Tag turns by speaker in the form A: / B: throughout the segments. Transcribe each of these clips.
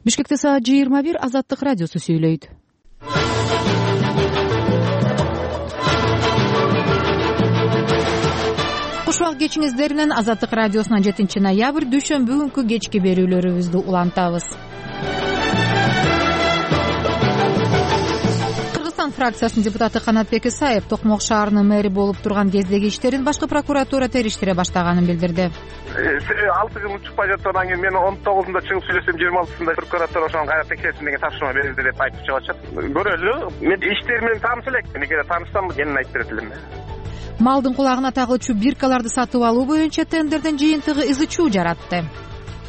A: Бишкекте саат 21. Азаттык радиосу сүйлөйт. Кушубак кечиңиздер менен Азаттык радиосунан 7-ноябрь дүйшөмбү күнкү кечки берүүлөрүбүздү улантабыз. Кыргызстан фракциясынын депутаты Канатбек Исаев Токмок шаарынын мэри болуп турган кездеги иштерин башкы прокуратура териштире баштаганын билдирди.
B: 6 жыл чыкпай жаткандан кийин мен 19-да чыгып сүйлөсөм 26-сында прокуратура ошону кайра текшерсин деген тапшырма берилди деп айтып чыгып атышат. Көрөлү. Мен иштери менен тааныш элек. Мен эгер таанышсам кенен айтып берет элем.
A: Малдын кулагына тагылчу биркаларды сатып алуу боюнча тендердин жыйынтыгы ызы-чуу жаратты.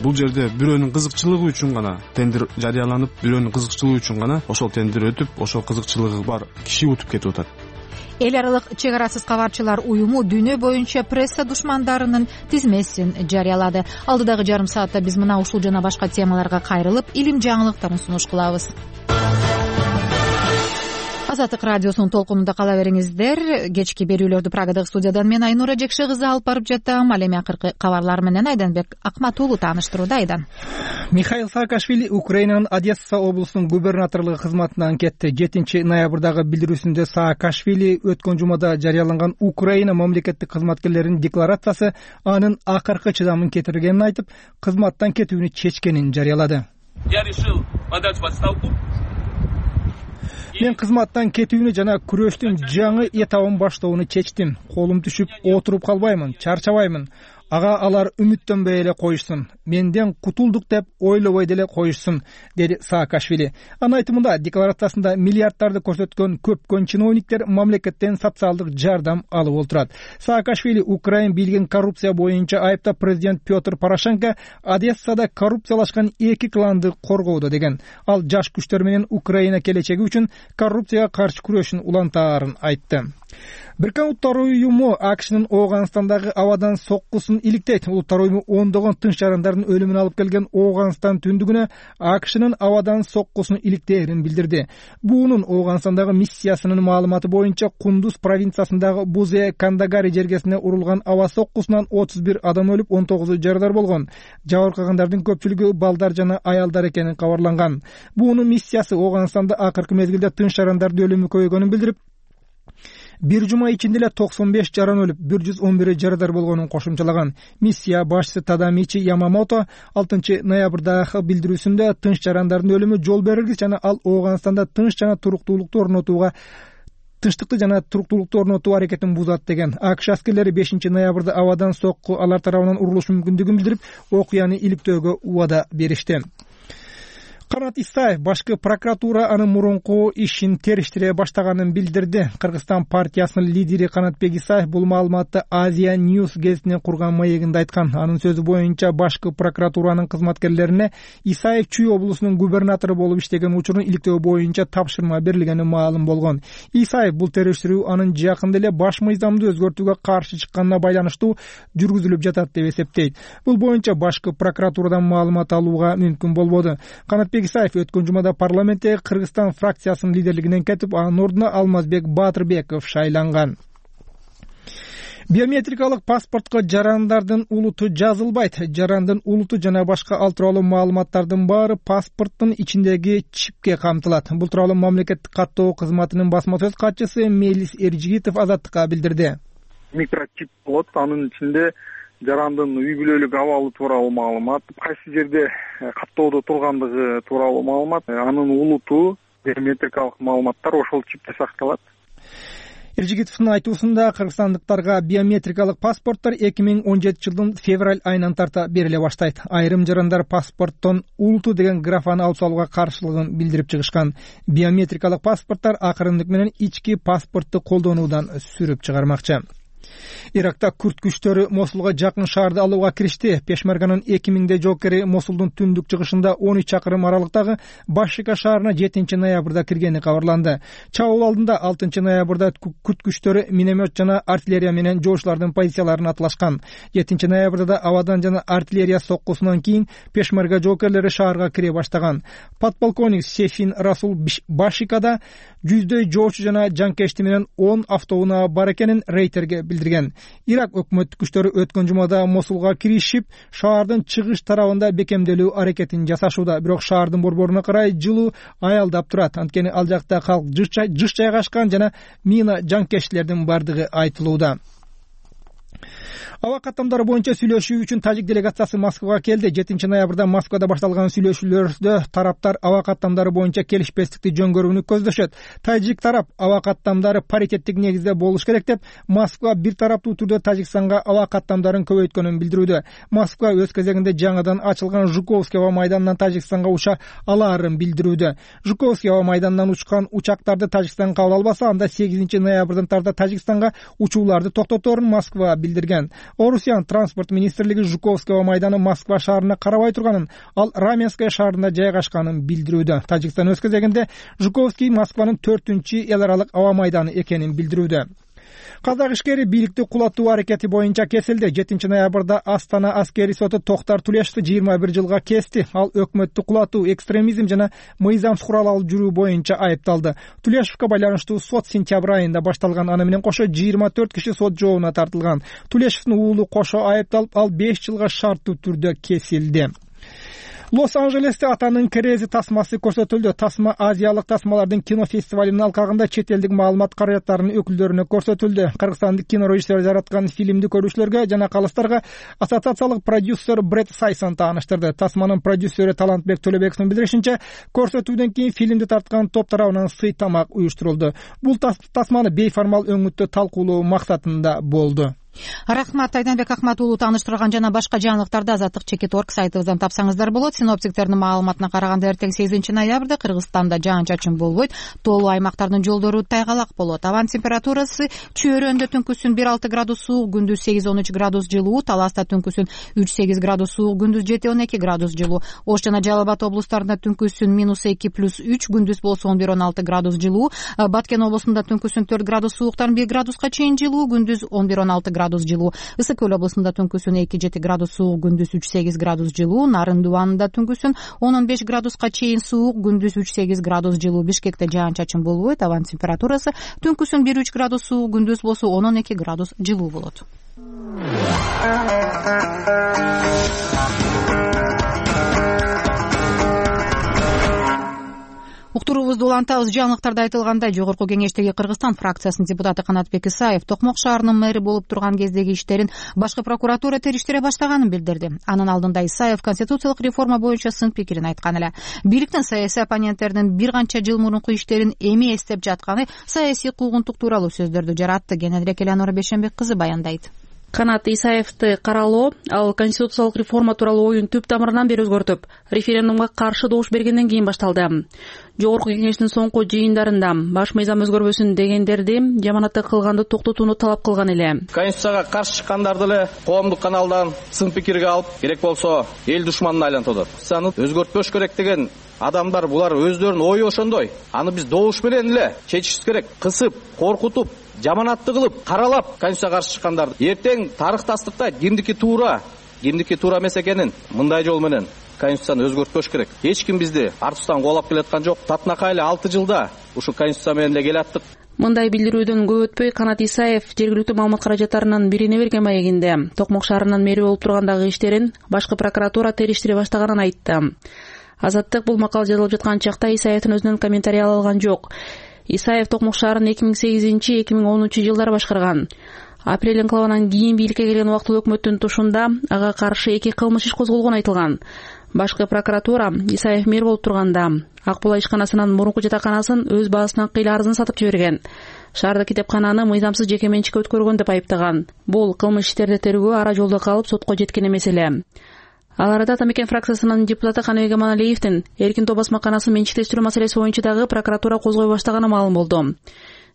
C: Бул жерде бирөөнүн кызыкчылыгы үчүн гана тендер жарыяланып, бирөөнүн кызыкчылыгы үчүн гана ошол тендер өтүп, ошол кызыкчылыгы бар киши утуп кетип атат.
A: Эл аралык чек арасыз кабарчылар уюму дүйнө боюнча пресса душмандарынын тизмесин жарыялады. Алдыдагы жарым саатта биз мына ушул жана башка темаларга кайрылып, илим жаңылыктарын сунуш кылабыз. Азаттык радиосунун толкунунда кала бериңиздер. Кечки берүүлөрдү Прагадагы студиядан мен Айнура Жекше кызы алып барып жатам. Ал эми акыркы кабарлар менен Айданбек Акматуулу тааныштырууда. Айдан.
D: Михаил Саакашвили Украинанын Одесса облусунун губернаторлугу кызматынан кетти. 7-ноябрдагы билдирүүсүндө Саакашвили өткөн жумада жарыяланган Украина мамлекеттик кызматкерлеринин декларациясы анын акыркы чыдамын кетиргенин айтып, кызматтан кетүүнү чечкенин жарыялады.
E: Я решил подать в отставку.
D: Мен кызматтан кетүүнү жана күрөштүн жаңы этабын баштоону чечтим. Колум түшүп отуруп калбаймын, чарчабаймын. Ага алар үмүттөнбөй эле коюшсун. Менден кутулдук деп ойлобой деле коюшсун, деди Саакашвили. Анын айтымында декларациясында миллиарддарды көрсөткөн көпкөн чиновниктер мамлекеттен социалдык жардам алып отурат. Саакашвили Украин бийлигин коррупция боюнча айыптап президент Петр Порошенко Одессада коррупциялашкан 2 кланды коргоодо деген. Ал жаш күчтөр менен Украина келечеги үчүн коррупцияга каршы күрөшүн улантаарын айтты. Бириккен Улуттар уюму АКШнын Ооганстандагы абадан соккусун иликтейт. Улуттар уюму ондогон тынч жарандардын өлүмүн алып келген Ооганстан түндүгүнө АКШнын абадан соккусун иликтээрин билдирди. Буунун Ооганстандагы миссиясынын маалыматы боюнча Кундуз провинциясындагы Бузе Кандагари жергесине урулган аба соккусунан 31 адам өлүп, 19 жарадар болгон. Жабыркагандардын көпчүлүгү балдар жана аялдар экени кабарланган. Буунун миссиясы Ооганстанда акыркы мезгилде тынч жарандардын өлүмү көбөйгөнүн билдирип, бир жума ичинде эле 95 жаран өлүп, 111 жарадар болгонун кошумчалаган. Миссия башчысы Тадамичи Ямамото 6-ноябрдагы билдирүүсүндө тынч жарандардын өлүмү жол берилгис жана ал Ооганстанда тынчтыкты жана туруктуулукту орнотуу аракетин бузат деген. АКШ аскерлери 5-ноябрда абадан сокку алар тарабынан урулушу мүмкүндүгүн билдирип, окуяны иликтөөгө убада беришти. Канат Исаев башкы прокуратура анын мурунку ишин териштире баштаганын билдирди. Кыргызстан партиясынын лидери Канатбек Исаев бул маалыматты Азия News гезитине курган маегинде айткан. Анын сөзү боюнча башкы прокуратуранын кызматкерлерине Исаев Чүй облусунун губернатору болуп иштеген учурун иликтөө боюнча тапшырма берилгени маалым болгон. Исаев бул териштирүү анын жакында эле баш мыйзамды өзгөртүүгө каршы чыкканына байланыштуу жүргүзүлүп жатат деп эсептейт. Бул боюнча башкы прокуратурадан маалымат алууга мүмкүн болбоду. Канатбек Исаев өткөн жумада парламентте Кыргызстан фракциясынын лидерлигинен кетип, анын ордуна Алмазбек Батырбеков шайланган. Биометрикалык паспортко жарандардын улуту жазылбайт. Жарандын улуту жана башка ал тууралуу маалыматтардын баары паспорттун ичиндеги чипке камтылат. Бул тууралуу мамлекеттик каттоо кызматынын басма сөз катчысы Мелис Эржигитов Азаттыкка билдирди.
B: Микрочип болот, анын ичинде жарандын үй бүлөлүк абалы тууралуу маалымат, кайсы жерде каттоодо тургандыгы тууралуу маалымат, анын улуту, биометрикалык маалыматтар ошол чипте сакталат.
D: Эржигитовдун айтуусунда кыргызстандыктарга биометрикалык паспорттор 2017 жылдын февраль айынан тарта бериле баштайт. Айрым жарандар паспорттон улуту деген графаны алып салууга каршылыгын билдирип чыгышкан. Биометрикалык паспорттор акырындык менен ички паспортту колдонуудан сүрүп чыгармакчы. Иракта күрд күчтөрү Мосулга жакын шаарды алууга киришти. Пешмерганын 2000 жоокери Мосулдун түндүк чыгышында 13 чакырым аралыктагы Башика шаарына 7-ноябрда киргени кабарланды. Чабуул алдында 6-ноябрда күрд күчтөрү миномет жана артиллерия менен жоошчулардын позицияларын атлашкан. 7-ноябрда да абадан жана артиллерия соккусунан кийин Пешмерга жоокерлери шаарга кире баштаган. Подполковник Сефин Расул Башикада жүздөй жоочу жана жанкечти менен 10 автоунаа бар экенин Рейтерге билдирген. Ирак өкмөттүк күчтөрү өткөн жумада Мосулга киришип, шаардын чыгыш тарабында бекемделүү аракетин жасашууда. Бирок шаардын борборуна карай жылуу аялдап турат. Анткени ал жакта калк жыш жайгашкан жана мина жанкечтилердин бардыгы айтылууда. Аба каттамдары боюнча сүйлөшүү үчүн тажик делегациясы Москвага келди. 7 ноябрда Москвада башталган сүйлөшүүлөрдө тараптар аба каттамдары боюнча келишпестикти жөнгөрүүнү көздөшөт. Тажик тарап аба каттамдары паритеттик негизде болуш керек деп, Москва бир тараптуу түрдө Тажикстанга аба каттамдарын көбөйткөнүн билдирүүдө. Москва өз кезегинде жаңадан ачылган Жуковский аба майданынан Тажикстанга уча алаарын билдирүүдө. Жуковский аба майданынан учкан учактарды Тажикстан кабыл албаса, анда 8 ноябрдан тарта Тажикстанга учууларды токтоторун Москва билдирген. Орусиян транспорт министрлиги Жуковский аба майданы Москва шаарына карабай турганын, ал Раменское шаарында жайгашканын билдирүүдө. Тажикстан өз кезегинде Жуковский Москванын 4-эл аралык аба майданы экенин билдирүүдө. Казак ишкери бийликти кулатуу аракети боюнча кесилди. 7 ноябрда Астана аскери соту Токтар Тулешевди 21 жылга кести. Ал өкмөттү кулатуу, экстремизм жана мыйзамсыз курал алып жүрүү боюнча айыпталды. Тулешевге байланыштуу сот сентябрь айында башталган. Аны менен кошо 24 киши сот жообуна тартылган. Тулешевдин уулу кошо айыпталып, ал 5 жылга шарттуу түрдө кесилди. Лос-Анжелесте атанын керези тасмасы көрсөтүлдү. Тасма азиялык тасмалардын кинофестивалынын алкагында чет элдик маалымат каражаттарынын өкүлдөрүнө көрсөтүлдү. Кыргызстандык кинорежиссер жараткан фильмди көрүүчүлөргө жана калыстарга ассоциациялык продюсер Бред Сайсон тааныштырды. Тасманын продюсеры Талантбек Төлөбековдун билдиришинче, көрсөтүүдөн кийин фильмди тарткан топ тарабынан сый тамак уюштурулду. Бул тасманы бейформал өңүттө талкуулоо максатында болду.
A: Рахмат, Айданбек Акматуулу. Тааныштырган жана башка жаңылыктарды Азаттык Чекит.орг сайтыбыздан тапсаңыздар болот. Синоптиктердин маалыматына караганда эртең 8 ноябрда Кыргызстанда жаан-чачын болбойт. Тоолуу аймактардын жолдору тайгалак болот. Абанын температурасы Чөйрөндө түнкүсүн 1-6 градус суук, күндүз 8-13 градус жылуу, Таласта түнкүсүн 3-8 градус суук, күндүз 7-12 градус жылуу. Ош жана Жалал Абад облустарында түнкүсүн -2+3, күндүз болсо 11-16 градус жылуу. Баткен облусунда түнкүсүн 4 градус сууктан 1 градуска чейин жылуу, күндүз 11-16 градус жылуу. Ысык Көл облусунда түнкүсүн 2-7 градус суук, күндүз 3-8 градус жылуу. Нарын Дубанында түнкүсүн 10-15 градуска чейин суук, күндүз 3-8 градус жылуу. Бишкекте жаан-чачын болбойт. Абанын температурасы түнкүсүн 1-3 градус суук, күндүз болсо 10-12 градус жылуу болот. Уктуруубузду улантабыз. Жаңылыктарда айтылгандай, Жогорку Кеңештеги Кыргызстан фракциясынын депутаты Канатбек Исаев Токмок шаарынын мэри болуп турган кездеги иштерин башкы прокуратура териштире баштаганын билдирди. Анын алдында Исаев конституциялык реформа боюнча сын пикирин айткан эле. Бийликтин саясий оппоненттеринин бир канча жыл мурунку иштерин эми эстеп жатканы саясий куугунтук тууралуу сөздөрдү жаратты. Кененирээк Элеонора Бейшенбек кызы баяндайт.
F: Канат Исаевди каралоо ал конституциялык реформа тууралуу оюн түп тамырынан бери өзгөртүп, референдумга каршы добуш бергенден кийин башталды. Жогорку Кеңештин соңку жыйындарында баш мыйзам өзгөрбөсүн дегендерди жаманатты кылганды токтотууну талап кылган эле.
G: Конституцияга каршы чыккандарды эле коомдук каналдан сын пикирге алып, керек болсо эл душманына айлантып атат. Конституцияны өзгөртпөш керек деген адамдар булар өздөрүнүн ою ошондой. Аны биз добуш менен эле чечишибиз керек. Кысып, коркутуп, жаманатты кылып, каралап Конституцияга каршы чыккандарды эртең тарыхтастыкта кимдики туура эмес экенин мындай жол менен Конституцияны өзгөртпөш керек. Эч ким бизди артыбыздан кубалап келаткан жок. Татынакай эле 6 жылда ушу Конституция менен эле келаттык.
F: Мындай билдирүүдөн көп өтпөй Канат Исаев жергиликтүү маалымат каражаттарынын бирине берген маегинде Токмок шаарынын мэри болуп тургандагы иштерин башкы прокуратура териштире баштаганын айтты. Азаттык бул макал жазылып жаткан чакта Исаевдин өзүнөн комментарий ала алган жок. Исаев Токмок шаарын 2008-2010 жылдары башкарган. Апрель инкылабынан кийин бийликке келген убактылуу өкмөттүн тушунда ага каршы 2 кылмыш иш козголгон айтылган. Башкы прокуратура Исаев мэр болуп турганда Акбула ишканасынын мурунку жатаканасын өз баасынан кыйла арзын сатып жиберген. Шаардык китепкананы мыйзамсыз жеке менчикке өткөргөн деп айыптаган. Бул кылмыш иштерди тергөө ара жолдо калып сотко жеткен эмес эле. Ал арада Атамекен фракциясынын депутаты Каныбек Аманалиевдин эркин топ басмаканасын менчиктештирүү маселеси боюнча дагы прокуратура козгой баштаганы маалым болду.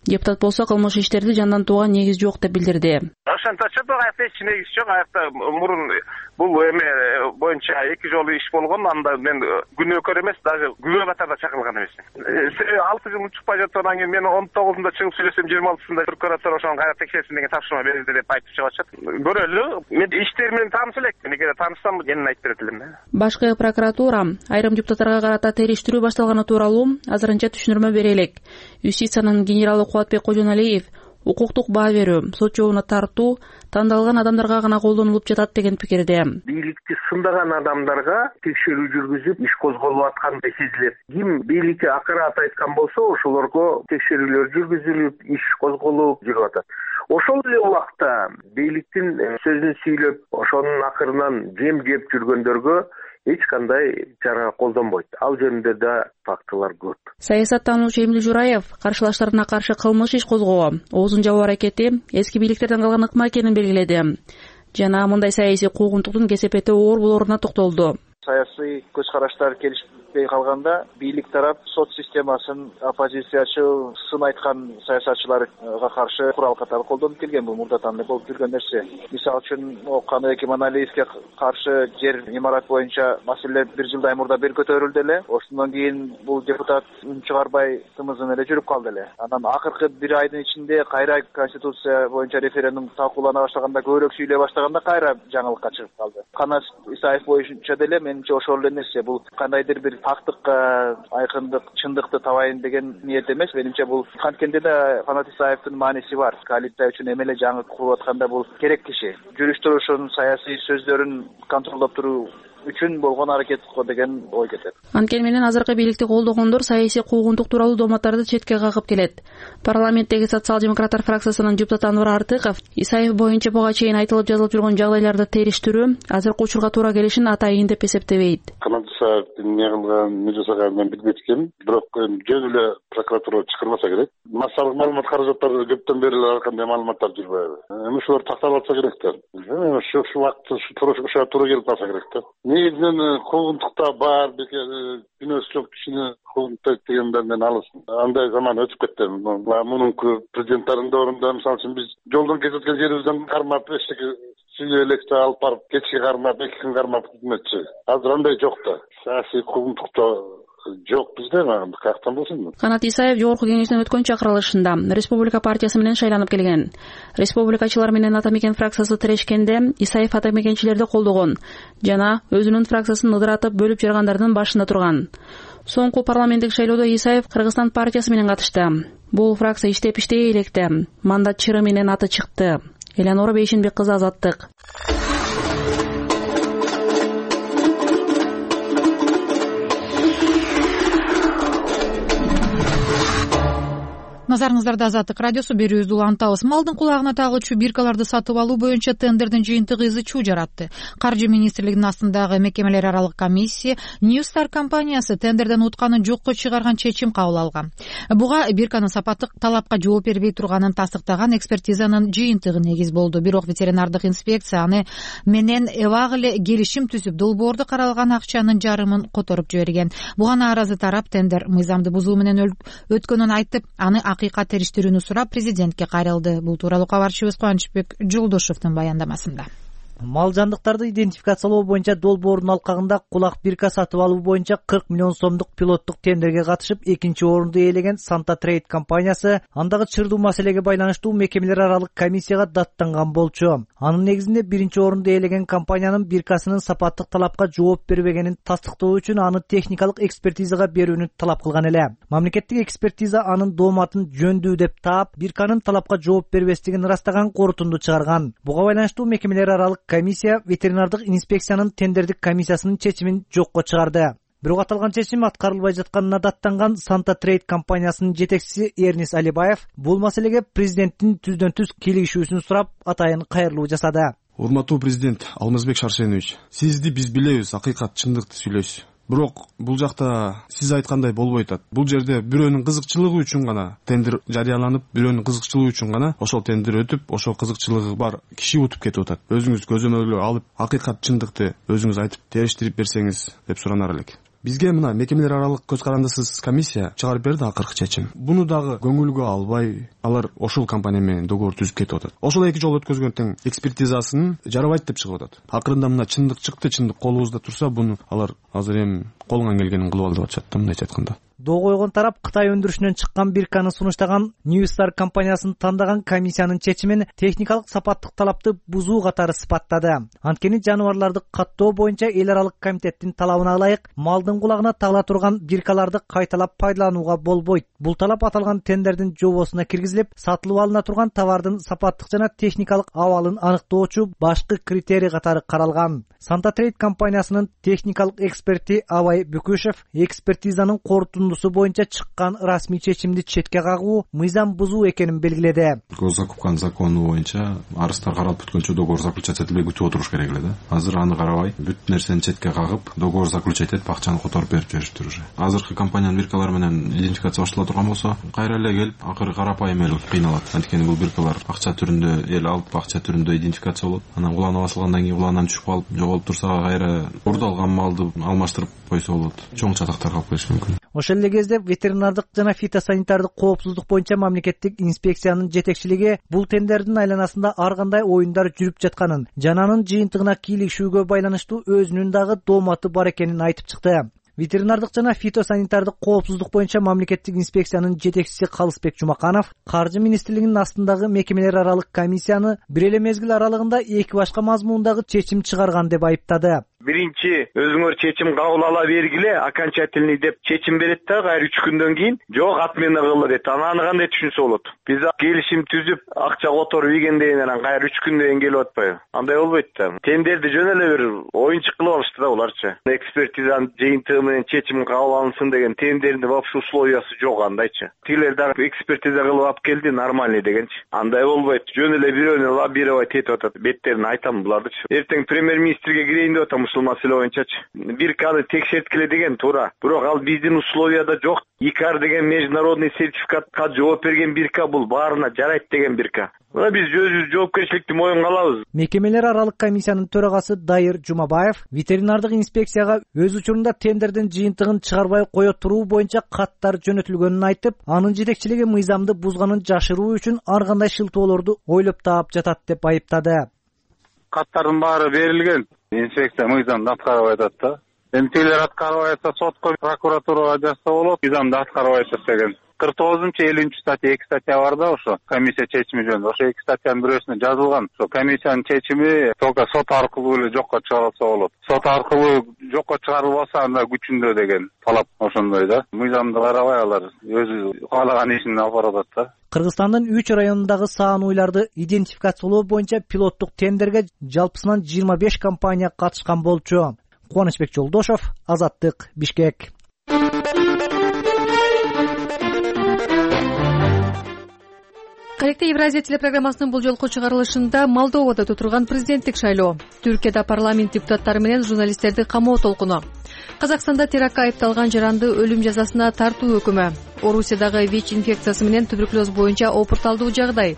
F: Депутат болсо кылмыш иштерди жандан тууган негиз жок деп билдирди.
H: Ошо ошончочо аякта эч негиз жок. Аякта мурун бул эме боюнча 2 жолу иш болгон. Анда мен күнөөкөр эмес, даже күбө катарда чакырылган эмесмин. 6 жыл учпай жаткандан кийин мен 19-ында чыгып сүйлөсөм, 26-сында прокуратура ошону кайра текшерсин деген тапшырма берилди деп айтып чыгып атышат. Көрөлү. Мен иштер менен тааныш элекмин. Эгер таанышсам кенен айтып берет элем.
F: Башкы прокуратура айрым депутаттарга карата териштирүү башталганы тууралуу азырынча түшүндүрмө бере элек. Юстициянын генералы Кубатбек Кожоналиев укуктук баа берүү, сот жообуна тартуу тандалган адамдарга гана колдонулуп жатат деген пикирде.
I: Бийликти сындаган адамдарга текшерүү жүргүзүп, иш козголуп аткандай сезилет. Ким бийликке акырат айткан болсо, ошолорго текшерүүлөр жүргүзүлүп, иш козголуп жүрүп атат. Ошол эле убакта бийликтин сөзүн сүйлөп, ошонун акырынан жем жеп жүргөндөргө эч кандай чара колдонбойт. Ал жөнүндө да фактылар көп.
F: Саясаттануучу Эмил Жураев каршылаштарына каршы кылмыш иш козгоо, оозун жабуу аракети эски бийликтерден калган ыкма экенин белгиледи. Жана мындай саясий куугунтуктун кесепети оор болоруна токтолду.
J: Саясий көз караштар келишпей калганда бийлик тарап сот системасын оппозициячы сын айткан саясатчыларга каршы курал катары колдонуп келген. Бул мурдатан эле болуп жүргөн нерсе. Мисалы үчүн Каныбек Иманалиевге каршы жер имарат боюнча маселе 1 жылдай мурда бир көтөрүлдү эле. Ошондон кийин бул депутат үн чыгарбай тымызын эле жүрүп калды эле. Анан акыркы 1 айдын ичинде кайра конституция боюнча референдум талкуулана баштаганда, көбүрөөк сүйлөй баштаганда кайра жаңылыкка чыгып калды. Канат Исаев боюнча деле менимче ошол эле нерсе. Бул кандайдыр бир фактыкка айкындык, чындыкты табайын деген ниет эмес. Менимче бул канткенде да Канат Исаевдин мааниси бар. Коалиция үчүн эмеле жаңылык куруп атканда бул керек киши. Жүрүш турушун, саясий сөздөрүн контролдоп туруу үчүн болгон аракет го деген ой кетет.
F: Анткени менен азыркы бийликти колдогондор саясий куугунтук тууралуу дооматтарды четке кагып келет. Парламенттеги социал-демократтар фракциясынын депутаты Анвар Артыков Исаев боюнча буга чейин айтылып жазылып жүргөн жагдайларды териштирүү азыркы учурга туура келишин атайын деп эсептебейт.
K: Канат Исаевдин не кылган, эмне жасаганын мен билбейт экенмин. Бирок жөн эле прокуратура чакырмаса керек. Массалык маалымат каражаттары көптөн бери эле кандай маалыматтар жүрбөйбү. Ошолор такталып атса керек да. Ошо убакытта ошо туура келип калса керек да. Негизинен куугунтукта бар, күнөөсү жок кишини куугунтайт дегенден мен алысмын. Андай заман өтүп кетти. Мунунку президенттардын доорунда мисалы үчүн биз жолдон кетип аткан жерибизден кармап эчтеке сүйлөп электе алып барып кечке кармап, 2 күн кармап кетметчи. Азыр андай жок да. Саясий куугунтукта жок бизде, каяктан болсун.
F: Канат Исаев жогорку кеңештин өткөн чакырылышында Республика партиясы менен шайланып келген. Республикачылар менен Ата Мекен фракциясы тирешкенде Исаев Ата Мекенчилерди колдогон жана өзүнүн фракциясын ыдыратып бөлүп жаргандардын башында турган. Соңку парламенттик шайлоодо Исаев Кыргызстан партиясы менен катышты. Бул фракция иштей электе. Мандат чыры менен аты чыкты. Элеонора Бейшенбек кызы, Азаттык.
A: Назарыңыздарда Азаттык радиосу, берүүбүздү улантабыз. Малдын кулагына тагылчу биркаларды сатып алуу боюнча тендердин жыйынтыгы ызы чуу жаратты. Каржы министрлигинин астындагы мекемелер аралык комиссия New Star компаниясы тендерден утканын жокко чыгарган чечим кабыл алган. Буга бирканын сапаттык талапка жооп бербей турганын тастыктаган экспертизанын жыйынтыгы негиз болду. Бирок ветеринардык инспекция аны менен эбак эле келишим түзүп, долбоордо каралган акчанын жарымын которуп жиберген. Буга нааразы тарап тендер мыйзамды бузуу менен өткөнүн айтып, аны акыйкат териштирүүнү сурап президентке кайрылды. Бул тууралуу кабарчыбыз Кубанычбек Жолдошевдун баяндамасында.
L: Мал жандыктарды идентификациялоо боюнча долбоордун алкагында кулак бирка сатып алуу боюнча 40 миллион сомдук пилоттук тендерге катышып, 2-орунду ээлеген Santa Trade компаниясы андагы чырдуу маселеге байланыштуу мекемелер аралык комиссияга даттанган болчу. Анын негизинде 1-орунду ээлеген компаниянын биркасынын сапаттык талапка жооп бербегенин тастыктоо үчүн аны техникалык экспертизага берүүнү талап кылган эле. Мамлекеттик экспертиза анын дооматын жөндүү деп таап, бирканын талапка жооп бербестигин ырастаган корутунду чыгарган. Буга байланыштуу мекемелер аралык комиссия ветеринардык инспекциянын тендердик комиссиясынын чечимин жокко чыгарды. Бирок аталган чечим аткарылбай жатканына даттанган Santa Trade компаниясынын жетекчиси Эрнис Алибаев бул маселеге президенттин түздөн-түз кийлигишүүсүн сурап, атайын кайрылуу жасады.
C: Урматтуу президент Алмазбек Шаршенович, сизди биз билебиз, акыйкат, чындыкты сүйлөйсүз. Бирок бул жакта сиз айткандай болбой атат. Бул жерде бирөөнүн кызыкчылыгы үчүн гана тендер жарыяланып, бирөөнүн кызыкчылыгы үчүн гана ошол тендер өтүп, ошол кызыкчылыгы бар киши утуп кетип атат. Өзүңүз көзөмөлгө алып, акыйкат, чындыкты өзүңүз айтып, териштирип берсеңиз деп суранар элек. Бизге мына мекемелер аралык көз карандысыз комиссия чыгарып берди акыркы чечим. Буну дагы көңүлгө албай алар ошол компания менен договор түзүп кетип атат. Ошол 2 жолу өткөзгөн тең экспертизасын жарабайт деп чыгып атат. Акырында мына чындык чыкты, чындык колубузда турса, буну азыр азыр эми колуңан келгенин кылып ал деп атышат да, мындайча айтканда.
L: Доо койгон тарап Кытай өндүрүшүнөн чыккан бирканы сунуштаган Newstar компаниясын тандаган комиссиянын чечимин техникалык сапаттык талапты бузуу катары сыпаттады. Анткени жаныбарларды каттоо боюнча эл аралык комитеттин талабына ылайык малдын кулагына тагыла турган биркаларды кайталап пайдаланууга болбойт. Бул талап аталган тендердин жобосуна киргизилип, сатылып алына турган товардын сапаттык жана техникалык абалын аныктоочу башкы критерий катары каралган. Santa Trade компаниясынын техникалык эксперти Абай Бүкүшев экспертизанын корутундусу боюнча чыккан расмий чечимди четке кагуу мыйзам бузуу экенин белгиледи.
M: Госзакупканын закону боюнча арыздар каралып бүткөнчө договор заключать этилбей күтүп отуруш керек эле да. Азыр аны карабай, бүт нерсени четке кагып, договор заключать этип, акчаны которуп берип жибериштир уже. Азыркы компаниянын биркалары менен идентификация баштала турган болсо, кайра эле келип, акыры карапайым эл кыйналат. Анткени бул биркалар акча түрүндө эл алып, акча түрүндө идентификация болот. Анан уланып басылгандан кийин уланан түшүп калып, жоголуп турса, кайра урдалган малды алмаштырып койсо болот. Чоң чатактар калып кетиши мүмкүн.
L: Ошол эле кезде ветеринардык жана фитосанитардык коопсуздук боюнча мамлекеттик инспекциянын жетекчилиги бул тендердин айланасында ар кандай оюндар жүрүп жатканын жана анын жыйынтыгына кийлигишүүгө байланыштуу өзүнүн дагы дооматы бар экенин айтып чыкты. Ветеринардык жана фитосанитардык коопсуздук боюнча мамлекеттик инспекциянын жетекчиси Калысбек Жумаканов Каржы министрлигинин астындагы мекемелер аралык комиссияны бир эле мезгил аралыгында 2 башка мазмундагы чечим чыгарган деп айыптады.
N: Биринчи өзүңөр чечим кабыл ала бергиле, окончательный деп чечим берет да, кайра 3 күндөн кийин жок отмена кылы дейт. Аны кандай түшүнсө болот? Биз келишим түзүп, акча которуп ийгенден анан кайра 3 күндөн кийин келип атпайбы? Андай болбойт да. Тендерди жөн эле бир оюнчук кылып алышты да буларчы. Экспертизанын жыйынтыгы менен чечим кабыл алынсын деген тендердин вообще условиясы жок андайчы. Тилер дагы экспертиза кылып алып келди, нормальный дегенчи. Андай болбойт. Жөн эле бирөөнү лоббировать этип атат. Беттерин айтам булардычы. Эртең премьер-министрге кирейин деп атам ушул маселе боюнчачы. Бирканы текшерткиле деген туура. Бирок ал биздин условияда жок. ИКАР деген международный сертификатка жооп берген бирка, бул баарына жарайт деген бирка. Биз өзүбүз жоопкерчиликти моюнга алабыз.
L: Мекемелер аралык комиссиянын төрагасы Дайыр Жумабаев ветеринардык инспекцияга өз учурунда тендердин жыйынтыгын чыгарбай кое туруу боюнча каттар жөнөтүлгөнүн айтып, анын жетекчилиги мыйзамды бузганын жашыруу үчүн ар кандай шылтоолорду ойлоп таап жатат деп айыптады.
K: Каттардын баары берилген. Инспекция мыйзамды аткарбай атат да. Эми тилер аткарбай атса сотко, прокуратурага жазса болот. Мыйзамды аткарбай атат деген. 49-50 статья 2 статья бар да ошо комиссия чечими жөнүндө. Ошо 2 статьянын бирөөсүнө жазылган. Ошо комиссиянын чечими только сот аркылуу эле жокко чыгарылса болот. Сот аркылуу жокко чыгарылбаса анда күчүндө деген талап ошондой да. Мыйзамды карабай алар өзү каалаган ишин алып барат да.
L: Кыргызстандын 3 районундагы саан уйларды идентификациялоо боюнча пилоттук тендерге жалпысынан 25 компания катышкан болчу. Кубанычбек Жолдошов, Азаттык, Бишкек.
O: Кайыкта Евразия телепрограммасынын бул жолку чыгарылышында Молдовада отурган президенттик шайлоо, Түркияда парламент депутаттары менен журналисттерди камоо толкуну, Казакстанда терактка айыпталган жаранды өлүм жазасына тартуу өкүмү, Орусиядагы ВИЧ инфекциясы менен туберкулез боюнча опурталдуу жагдай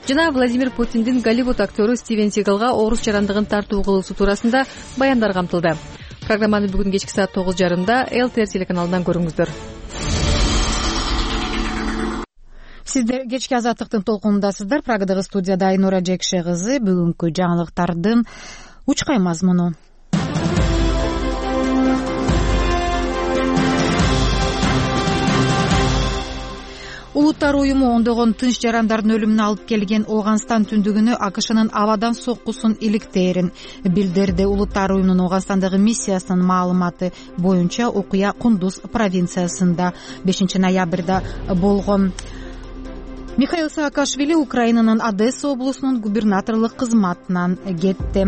O: жана Владимир Путиндин Голливуд актеру Стивен Сигалга орус жарандыгын тартуу кылуусу туурасында баяндар камтылды. Программаны бүгүн кечки саат 9:30 ЛТР телеканалынан көрүңүздөр.
A: Сиздер кечки Азаттыктын толкунундасыздар. Прагадагы студияда Айнура Жекше кызы. Бүгүнкү жаңылыктардын учкай мазмуну. Улуттар уюму ондогон тынч жарандардын өлүмүнө алып келген Ооганстан түндүгүнө AQShnын абадан соккусун иликтээрин билдирди. Улуттар уюмунун Ооганстандагы миссиясынын маалыматы боюнча окуя Кундуз провинциясында 5 ноябрда болгон. Михаил Саакашвили Украинанын Одесса облусунун губернаторлук кызматынан кетти.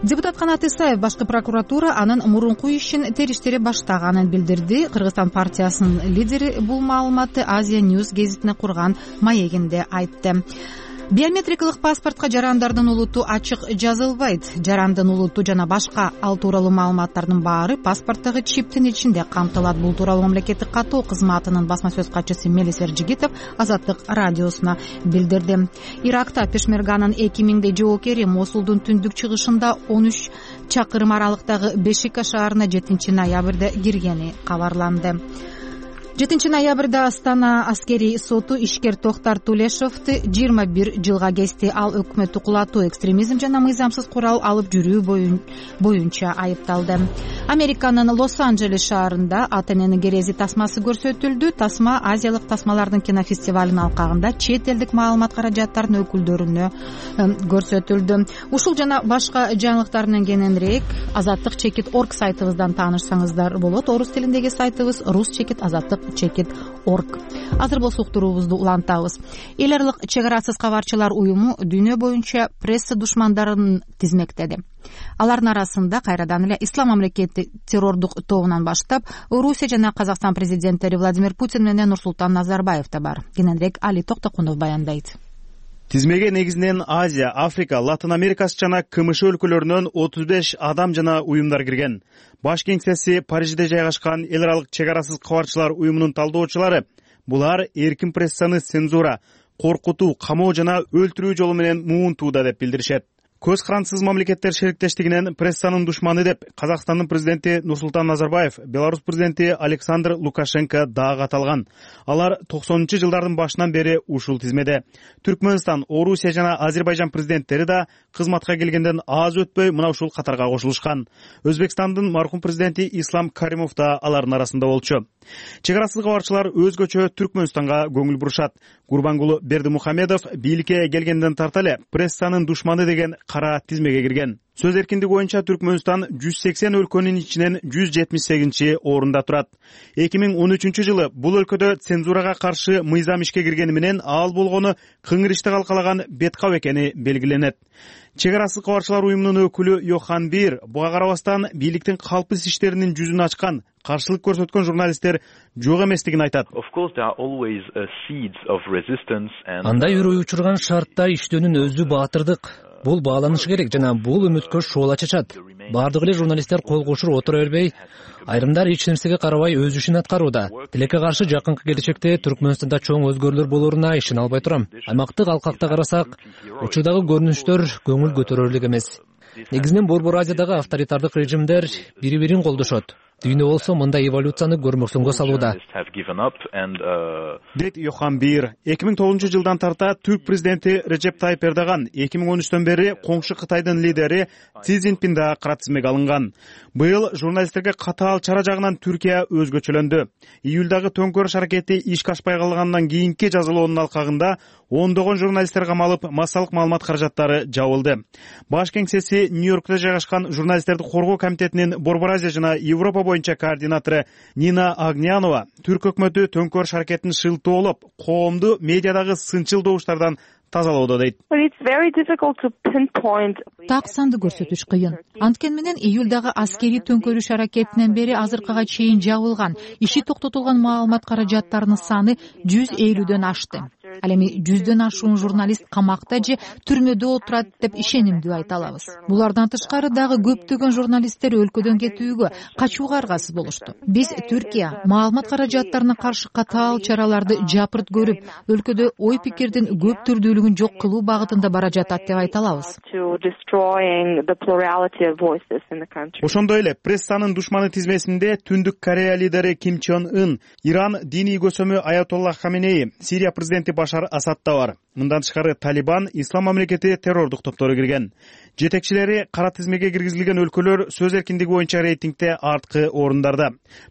A: Депутат Канат Исаев башкы прокуратура анын мурунку ишин териштире баштаганын билдирди. Кыргызстан партиясынын лидери бул маалыматты Азия News гезитине курган маегинде айтты. Биометрикалык паспортко жарандардын улуту ачык жазылбайт. Жарандын улуту жана башка ал тууралуу маалыматтардын баары паспорттогу чиптин ичинде камтылат. Бул тууралуу мамлекеттик каттоо кызматынын басма сөз катчысы Мелис Эржигитов Азаттык радиосуна билдирди. Иракта Пешмерганын 2000 жоокери Мосулдун түндүк чыгышында 13 чакырым аралыктагы Бешика шаарына 7-ноябрда киргени кабарланды. 7-ноябрда Астана аскерий соту ишкер Токтар Тулешовду 21 жылга кести. Ал өкмөттү кулатуу, экстремизм жана мыйзамсыз курал алып жүрүү боюнча айыпталды. Американын Лос-Анджелес шаарында АТНнын керези тасмасы көрсөтүлдү. Тасма Азиялык тасмалардын кинофестивалынын алкагында чет элдик маалымат каражаттарынын өкүлдөрүнө көрсөтүлдү. Ушул жана башка жаңылыктар менен кененирээк Азаттык-Орг сайтыбыздан таанышсаңыздар болот. Орус тилиндеги сайтыбыз Rus-Azatlyk.org. Азыр болсо уктуруубузду улантабыз. Эл аралык чек арасыз кабарчылар уюму дүйнө боюнча пресса душмандарын тизмектеди. Алардын арасында кайрадан эле Ислам мамлекети террордук тобунан баштап Орусия жана Казакстан президенттери Владимир Путин менен Нурсултан Назарбаев да бар. Кененирээк Али Токтокунов баяндайт.
P: Тизмеге негизинен Азия, Африка, Латын Америкасы жана КМШ өлкөлөрүнөн 35 адам жана уюмдар кирген. Баш кеңсеси Парижде жайгашкан эл аралык чек арасыз кабарчылар уюмунун талдоочулары булар эркин прессаны цензура, коркутуу, камоо жана өлтүрүү жолу менен муунтууда деп билдиришет. Көз карансыз мамлекеттер шериктештигинен прессанын душманы деп Казакстандын президенти Нурсултан Назарбаев, Беларусь президенти Александр Лукашенко дагы аталган. Алар 90-жылдардын башынан бери ушул тизмеде. Түркмөнстан, Орусия жана Азербайжан президенттери да кызматка келгенден аз өтпөй мына ушул катарга кошулушкан. Өзбекстандын мархум президенти Ислам Каримов да алардын арасында болчу. Чек арасыз кабарчылар өзгөчө Түркмөнстанга көңүл бурушат. Гурбангулу Бердимухамедов бийликке келгенден тарта эле прессанын душманы деген кара тизмеге кирген. Сөз эркиндиги боюнча Түркмөнстан 180 өлкөнүн ичинен 178-орунда турат. 2013-жылы бул өлкөдө цензурага каршы мыйзам ишке киргени менен ал болгону кыңыр ишти калкалаган беткап экени белгиленет. Чек арасыз кабарчылар уюмунун өкүлү Йохан Бир буга карабастан бийликтин калпсыз иштеринин жүзүн ачкан, каршылык көрсөткөн журналисттер жок эместигин айтат.
Q: Андай үрөй учурган шартта иштөөнүн өзү баатырдык. Бул бааланышы керек жана бул үмүткө шоола чачат. Бардык эле журналисттер кол кошур отура бербей, айрымдар эч нерсеге карабай өз ишин аткарууда. Тилекке каршы жакынкы келечекте Түркмөнстанда чоң өзгөрүүлөр болоруна ишене албай турам. Аймактык алкакта карасак, учурдагы көрүнүштөр көңүл көтөрөрлүк эмес. Негизинен Борбор Азиядагы авторитардык режимдер бири-бирин колдошот. Дүйнө болсо мындай эволюцияны көрмөксөнгө салууда.
P: Дейт Йохан Бир. 2009-жылдан тарта Түрк президенти Режеп Тайып Эрдоган 2013-төн бери коңшу Кытайдын лидери Си Цзиньпин да кара тизмеге алынган. Быйыл журналисттерге катаал чара жагынан Түркия өзгөчөлөндү. Июлдагы төңкөрүш аракети ишке ашпай калгандан кийинки жазалоонун алкагында ондогон журналисттер камалып, массалык маалымат каражаттары жабылды. Баш кеңсеси Нью-Йоркто жайгашкан журналисттерди коргоо комитетинин Борбор Азия жана Европа боюнча координатору Нина Агнянова Түрк өкмөтү төңкөрүш аракетин шылтоолоп, коомду медиадагы сынчыл добуштардан тазалоодо дейт.
A: Так санды көрсөтүш кыйын. Анткени менен июлдагы аскерий төңкөрүш аракетинен бери азыркыга чейин жабылган, иши токтотулган маалымат каражаттарынын саны 150дөн ашты. Ал эми 100дөн ашуун журналист камакта же түрмөдө отурат деп ишенимдүү айта алабыз. Булардан тышкары дагы көптөгөн журналисттер өлкөдөн кетүүгө, качууга аргасыз болушту. Биз Түркия маалымат каражаттарына каршы катаал чараларды жапырт көрүп, өлкөдө ой пикирдин көп түрдүүлүгүн жок кылуу багытында бара жатат деп айта алабыз.
P: Ошондой эле прессанын душманы тизмесинде Түндүк Корея лидери Ким Чен Ын, Иран диний көсөмү Аятолла Хаменеи, Сирия президенти Башар Асад да бар. Мындан тышкары Талибан, Ислам мамлекети террордук топтору кирген. Жетекчилери кара тизмеге киргизилген өлкөлөр сөз эркиндиги боюнча рейтингде арткы орундарда.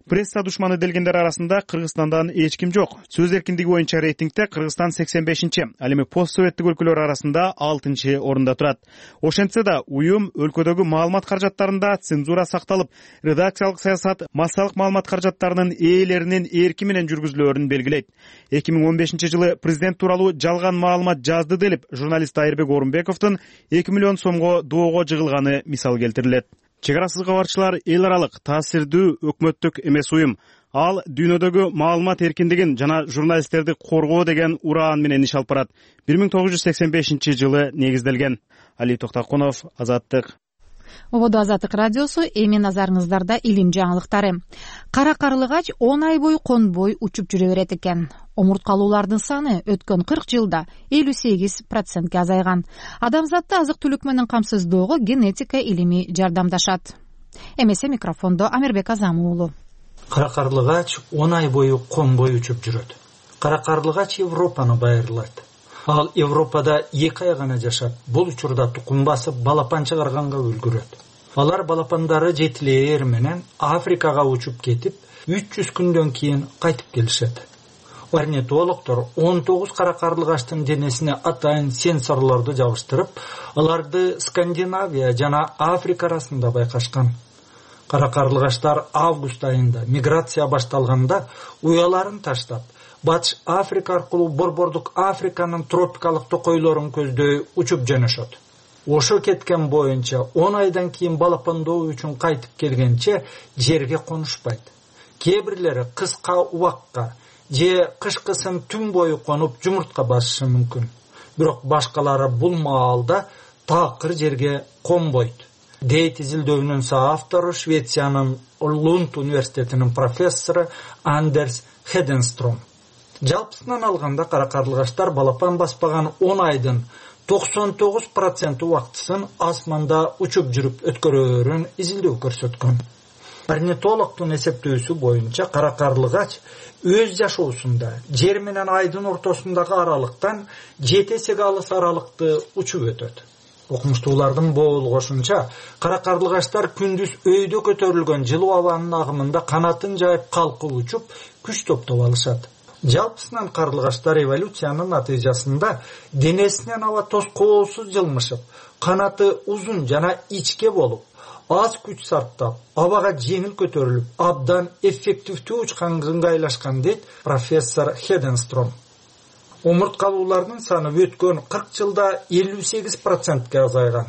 P: Пресса душманы делгендер арасында Кыргызстандан эч ким жок. Сөз эркиндиги боюнча рейтингде Кыргызстан 85-чи, ал эми постсоветтик өлкөлөр арасында 6-чы орунда турат. Ошентсе да уюм өлкөдөгү маалымат каражаттарында цензура сакталып, редакциялык саясат массалык маалымат каражаттарынын ээлеринин эрки менен жүргүзүлөөрүн белгилейт. 2015-жылы президент тууралуу жалган маалымат жазды делип, журналист Айырбек Орунбековдун 2 миллион сомго доого жыгылганы мисал келтирилет. Чек арасыз кабарчылар эл аралык таасирдүү өкмөттүк эмес уюм. Ал дүйнөдөгү маалымат эркиндигин жана журналисттерди коргоо деген ураан менен иш алып барат. 1985-жылы негизделген. Али Токтокунов, Азаттык.
A: ободо Азаттык радиосу. Эми назарыңыздарда илим жаңылыктары. Кара карлыгач 10 ай бою конбой учуп жүрө берет экен. Омурткалуулардын саны өткөн 40 жылда 58%ке азайган. Адамзатты азык-түлүк менен камсыздоого генетика илими жардамдашат. Эмесе микрофондо Амирбек Азамов уулу.
R: Кара карлыгач 10 ай бою конбой учуп жүрөт. Кара карлыгач Европаны байырлайт. Ал Европада 2 ай гана жашап, бул учурда тукум басып балапан чыгарганга үлгүрөт. Алар балапандары жетилээр менен Африкага учуп кетип, 300 күндөн кийин кайтып келишет. Орнитологдор 19 кара карлыгачтын денесине атайын сенсорлорду жабыштырып, аларды Скандинавия жана Африка арасында байкашкан. Кара карлыгачтар август айында миграция башталганда уяларын таштап, Батыш Африка аркылуу Борбордук Африканын тропикалык токойлорун көздөй учуп жөнөшөт. Ошо кеткен боюнча 10 айдан кийин балапандоо үчүн кайтып келгенче жерге конушпайт. Кээ бирлери кыска убакка же кышкысын түн бою конуп жумуртка басышы мүмкүн. Бирок башкалары бул маалда такыр жерге конбойт. Дейт изилдөөнүн соавтору Швециянын Лунд университетинин профессору Андерс Хеденстром. Жалпысынан алганда кара карлыгачтар балапан баспаган 10 айдын 99% убактысын асманда учуп жүрүп өткөрөөрүн изилдөө көрсөткөн. Орнитологдун эсептөөсү боюнча кара карлыгач өз жашоосунда жер менен айдын ортосундагы аралыктан 7 эсеге алыс аралыкты учуп өтөт. Окумуштуулардын болгошунча, кара карлыгачтар күндүз өйдө көтөрүлгөн жылуу абанын агымында канатын жайып калкып учуп, күч топтоп алышат. Жалпысынан карлыгачтар эволюциянын натыйжасында денесинен аба тоскоосуз жылмышып, канаты узун жана ичке болуп, аз күч сарптап, абага жеңил көтөрүлүп, абдан эффективдүү учкан ыңгайлашкан дейт профессор Хеденстром. Омурткалуулардын саны өткөн 40 жылда 58%ке азайган.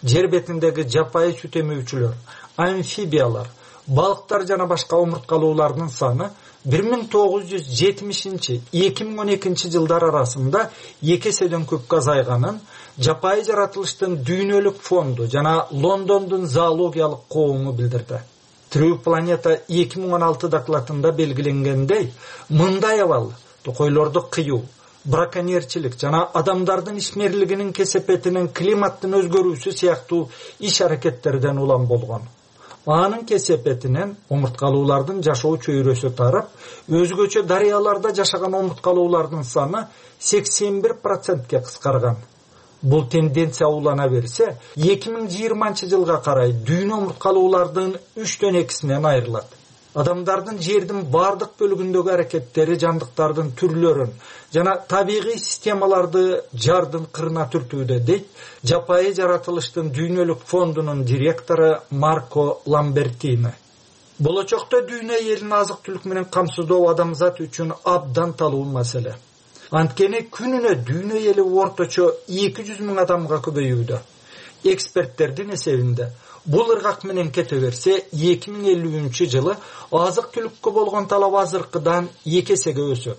R: Жер бетиндеги жапайы сүт эмүүчүлөр, амфибиялар, балыктар жана башка омурткалуулардын саны 1970-2012 жылдар арасында 2 эседен көпкө азайганын Жапайы жаратылыштын дүйнөлүк фонду жана Лондондун зоологиялык коому билдирди. Тирүү планета 2016 докладында белгиленгендей, мындай абал токойлорду кыюу, браконьерчилик жана адамдардын ишмерлигинин кесепетинин климаттын өзгөрүүсү сыяктуу иш-аракеттерден улам болгон. Анын кесепетинен омурткалуулардын жашоо чөйрөсү тарап, өзгөчө дарыяларда жашаган омурткалуулардын саны 81%ке кыскарган. Бул тенденция улана берсе, 2020 жылга карай дүйнө омурткалуулардын 3/2-синен айрылат. Адамдардын жердин бардык бөлүгүндөгү аракеттери жандыктардын түрлөрүн жана табигый системаларды жардын кырына түртүүдө, дейт Жапайы жаратылыштын дүйнөлүк фондунун директору Марко Ламбертини. Болочокто дүйнө элин азык-түлүк менен камсыздоо адамзат үчүн абдан талуу маселе. Анткени күнүнө дүйнө эли орточо 200 000 адамга көбөйүүдө. Эксперттердин эсебинде бул ыргак менен кете берсе, 2050 жылы азык-түлүккө болгон талап азыркыдан 2 эсеге өсөт.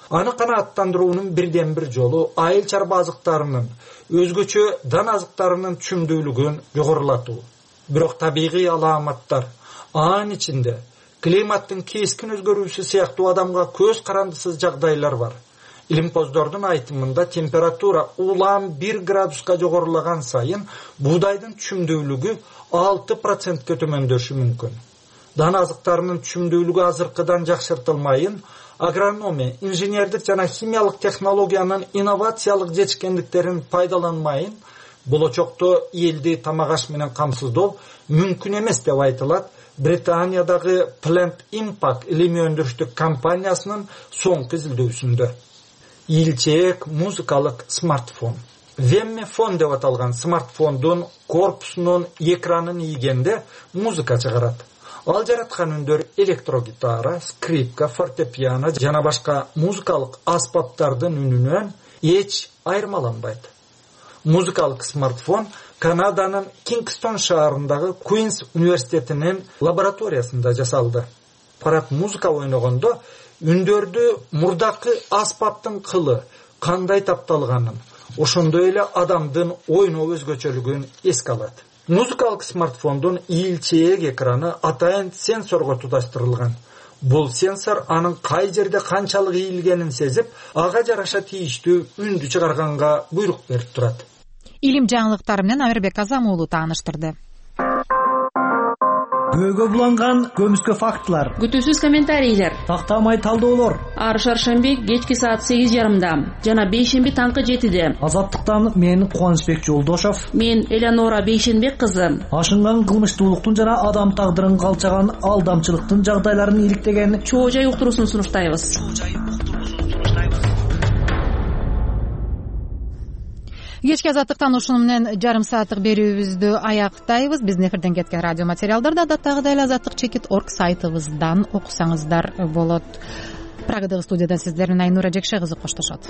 R: Аны канааттандыруунун бирден бир жолу айыл чарба азыктарынын, өзгөчө дан азыктарынын түшүмдүүлүгүн жогорулатуу. Бирок табигый алааматтар, анын ичинде климаттын кескин өзгөрүүсү сыяктуу адамга көз карандысыз жагдайлар бар. Илимпоздордун айтымында температура улам 1 градуска жогорулаган сайын буудайдын түшүмдүүлүгү 6%ке төмөндөшү мүмкүн. Дан азыктарынын түшүмдүүлүгү азыркыдан жакшыртылмайын, агрономия, инженердик жана химиялык технологиянын инновациялык жетишкендиктерин пайдаланмайын, болочокто элди тамак аш менен камсыздоо мүмкүн эмес деп айтылат Британиядагы Plant Impact илимий өндүрүштүк компаниясынын соңку изилдөөсүндө. Илчек музыкалык смартфон. Веммефон деп аталган смартфондун корпусунун экранын ийгенде музыка чыгарат. Ал жараткан үндөр электрогитара, скрипка, фортепиано жана башка музыкалык аспаптардын үнүнөн эч айырмаланбайт. Музыкалык смартфон Канаданын Кингстон шаарындагы Куинс университетинин лабораториясында жасалды. Аппарат музыка ойногондо үндөрдү мурдакы аспаптын кылы кандай тапталганын, ошондой эле адамдын ойноо өзгөчөлүгүн эске алат. музыкалык смартфондун ийилчээк экраны атайын сенсорго туташтырылган. Бул сенсор анын кай жерде канчалык ийилгенин сезип, ага жараша тийиштүү үндү чыгарганга буйрук берип турат.
A: Илим жаңылыктары менен Амирбек Азам уулу тааныштырды.
L: Көөгө буланган көмүскө фактылар,
F: күтүүсүз комментарийлер,
L: тактамай талдоолор.
F: Ар шаршемби кечки саат 8:30 жана бейшемби таңкы 7:00.
L: Азаттыктан мен Кубанычбек Жолдошов,
F: мен Элеонора Бейшенбек кызы.
L: Ашынган кылмыштуулуктун жана адам тагдырын калчаган алдамчылыктын жагдайларын иликтеген
F: чоо жай уктуруусун сунуштайбыз.
A: Кечки азаттыктан ушуну менен жарым сааттык берүүбүздү аяктайбыз. Биздин эфирден кеткен радио материалдарды адаттагыдай эле азаттык-org сайтыбыздан окусаңыздар болот. Прагадагы студиядан сиздер менен Айнура Жекше кызы коштошот.